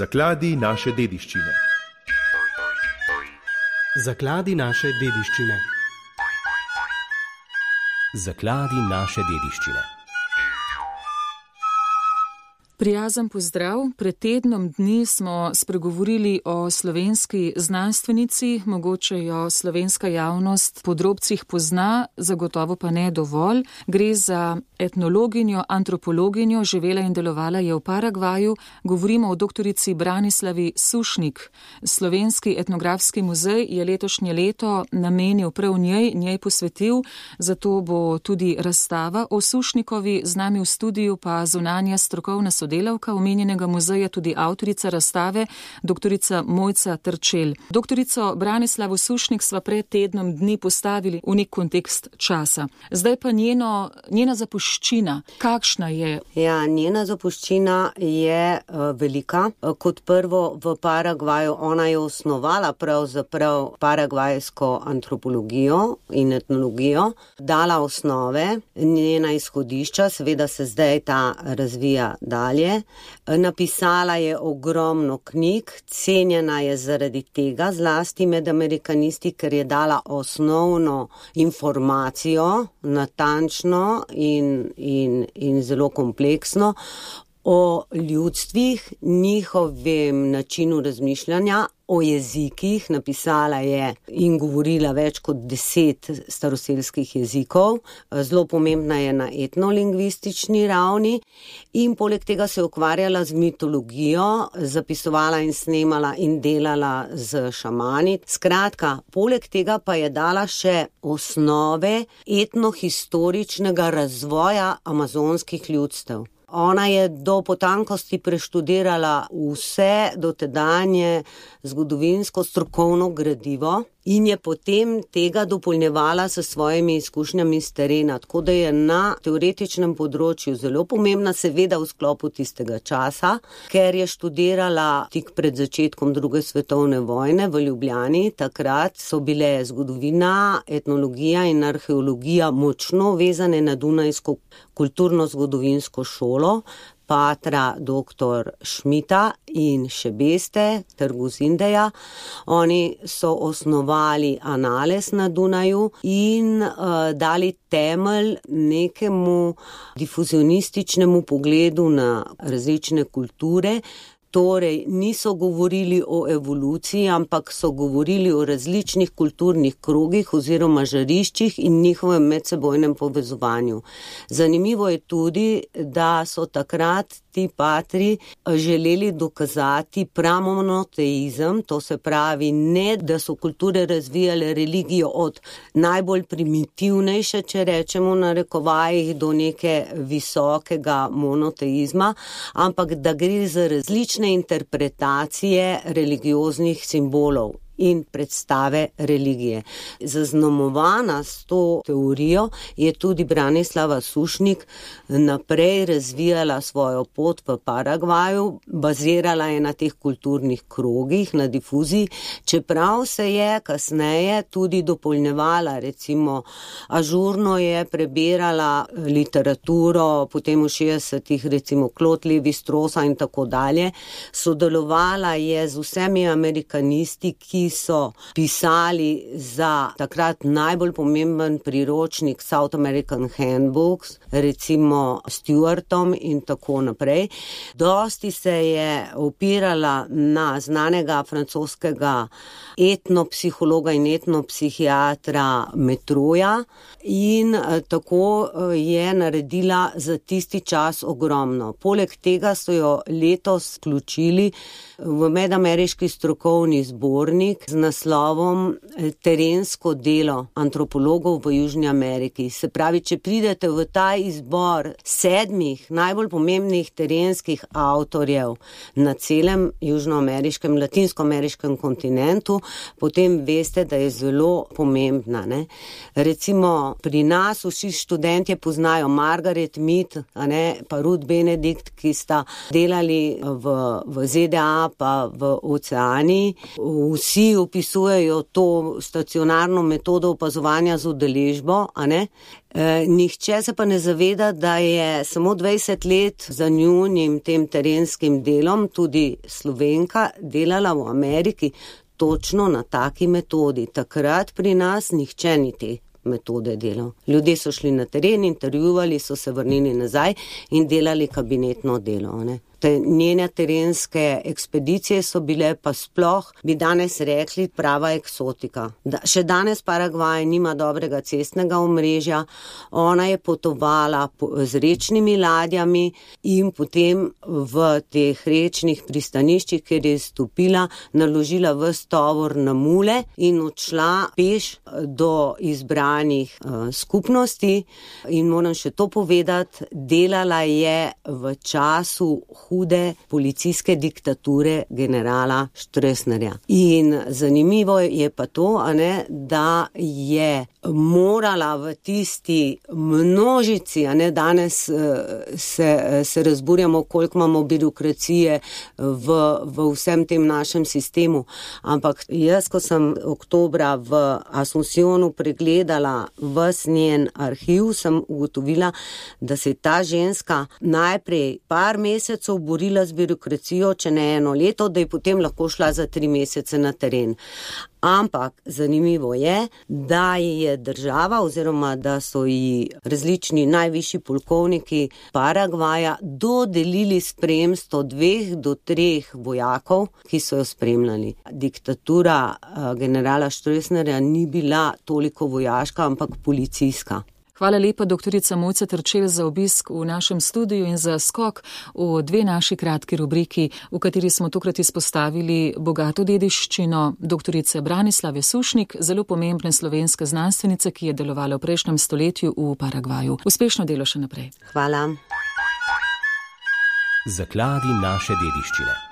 Zakladi naše dediščine. Zakladi naše dediščine. Zakladi naše dediščine. Prijazen pozdrav. Pred tednom dni smo spregovorili o slovenski znanstvenici, mogoče jo slovenska javnost po drobcih pozna, zagotovo pa ne dovolj. Gre za etnologinjo, antropologinjo, živela in delovala je v Paragvaju. Govorimo o doktorici Branislavi Sušnik. Slovenski etnografski muzej je letošnje leto namenil prav njej posvetil, zato bo tudi razstava o Sušnikovi. Z nami v studiu pa zunanja strokovna sodelavka omenjenega muzeja, tudi avtorica razstave, doktorica Mojca Terčelj. Doktorico Branislavo Sušnik sva pred tednom dni postavili v nek kontekst časa. Zdaj pa njena zapuščina. Kakšna je? Ja, njena zapuščina je velika. Kot prvo v Paragvaju ona je osnovala pravzaprav paragvajsko antropologijo in etnologijo, dala osnove, njena izhodišča, seveda se zdaj ta razvija dalje. Napisala je ogromno knjig, cenjena je zaradi tega, zlasti med amerikanisti, ker je dala osnovno informacijo, natančno in zelo kompleksno o ljudstvih, njihovem načinu razmišljanja, o jezikih. Napisala je in govorila več kot 10 staroselskih jezikov. Zelo pomembna je na etnolingvistični ravni in poleg tega se je ukvarjala z mitologijo, zapisovala in snemala in delala z šamani. Skratka, poleg tega pa je dala še osnove etnohistoričnega razvoja amazonskih ljudstev. Ona je do potankosti preštudirala vse dotedanje zgodovinsko strokovno gradivo in je potem tega dopolnjevala s svojimi izkušnjami s terena, tako da je na teoretičnem področju zelo pomembna, seveda v sklopu tistega časa, ker je študirala tik pred začetkom druge svetovne vojne v Ljubljani. Takrat so bile zgodovina, etnologija in arheologija močno vezane na Dunajsko kulturno-zgodovinsko šolo, patra dr. Šmita in Šebeste ter Guzindeja. Oni so osnovali Anales na Dunaju in dali temelj nekemu difuzionističnemu pogledu na različne kulture. Torej, niso govorili o evoluciji, ampak so govorili o različnih kulturnih krogih oziroma žariščih in njihovem medsebojnem povezovanju. Zanimivo je tudi, da so takrat ti patri želeli dokazati pramonoteizem, to se pravi ne, da so kulture razvijale religijo od najbolj primitivnejše, če rečemo na narekovajih, do neke visokega monoteizma, ampak da gre za različne interpretacije religioznih simbolov in predstave religije. Zaznamovana s to teorijo je tudi Branislava Sušnik naprej razvijala svojo pot v Paragvaju, bazirala je na teh kulturnih krogih, na difuziji, čeprav se je kasneje tudi dopolnjevala, recimo ažurno je prebirala literaturo, potem v 60-ih recimo Claude Lévi-Straussa in tako dalje, sodelovala je z vsemi amerikanisti, ki so pisali za takrat najbolj pomemben priročnik South American Handbooks, recimo Stewartom in tako naprej. Dosti se je opirala na znanega francoskega etnopsihologa in etnopsihiatra Metroja in tako je naredila za tisti čas ogromno. Poleg tega so jo letos vključili v medameriški strokovni zbornik z naslovom Terensko delo antropologov v Južni Ameriki. Se pravi, če pridete v ta izbor 7 najbolj pomembnih terenskih avtorjev na celem južnoameriškem, latinskoameriškem kontinentu, potem veste, da je zelo pomembna. Ne? Recimo, pri nas vsi študentje poznajo Margaret Mead, pa Ruth Benedict, ki sta delali v ZDA pa v Oceaniji. Vsi vsi opisujejo to stacionarno metodo opazovanja z udeležbo, a ne? Nihče se pa ne zaveda, da je samo 20 let za njunim tem terenskim delom tudi Slovenka delala v Ameriki točno na taki metodi. Takrat pri nas nihče ni te metode delal. Ljudje so šli na teren, intervjuvali, so se vrnili nazaj in delali kabinetno delo, ne? Te njene terenske ekspedicije so bile pa sploh, bi danes rekli, prava eksotika. Še danes Paragvaj nima dobrega cestnega omrežja, ona je potovala z rečnimi ladjami in potem v teh rečnih pristaniščih, kjer je stopila, naložila ves tovor na mule in odšla peš do izbranih skupnosti. In moram še to povedati, delala je v času hude policijske diktature generala Stroessnerja. In zanimivo je pa to, da je morala v tisti množici, danes se razburjamo, koliko imamo birokracije v vsem tem našem sistemu. Ampak jaz, ko sem oktobra v Asuncionu pregledala ves njen arhiv, sem ugotovila, da se je ta ženska najprej par mesecev borila z birokracijo, če ne 1 leto, da je potem lahko šla za 3 mesece na teren. Ampak zanimivo je, da je država oziroma da so ji različni najvišji polkovniki Paragvaja dodelili spremstvo 2 do 3 vojakov, ki so jo spremljali. Diktatura generala Stroessnerja ni bila toliko vojaška, ampak policijska. Hvala lepa, doktorica Mojca Terčelj, za obisk v našem studiu in za skok v 2 naši kratki rubriki, v kateri smo tokrat izpostavili bogato dediščino doktorice Branislave Sušnik, zelo pomembne slovenske znanstvenice, ki je delovala v prejšnjem stoletju v Paragvaju. Uspešno delo še naprej. Hvala. Zakladi naše dediščine.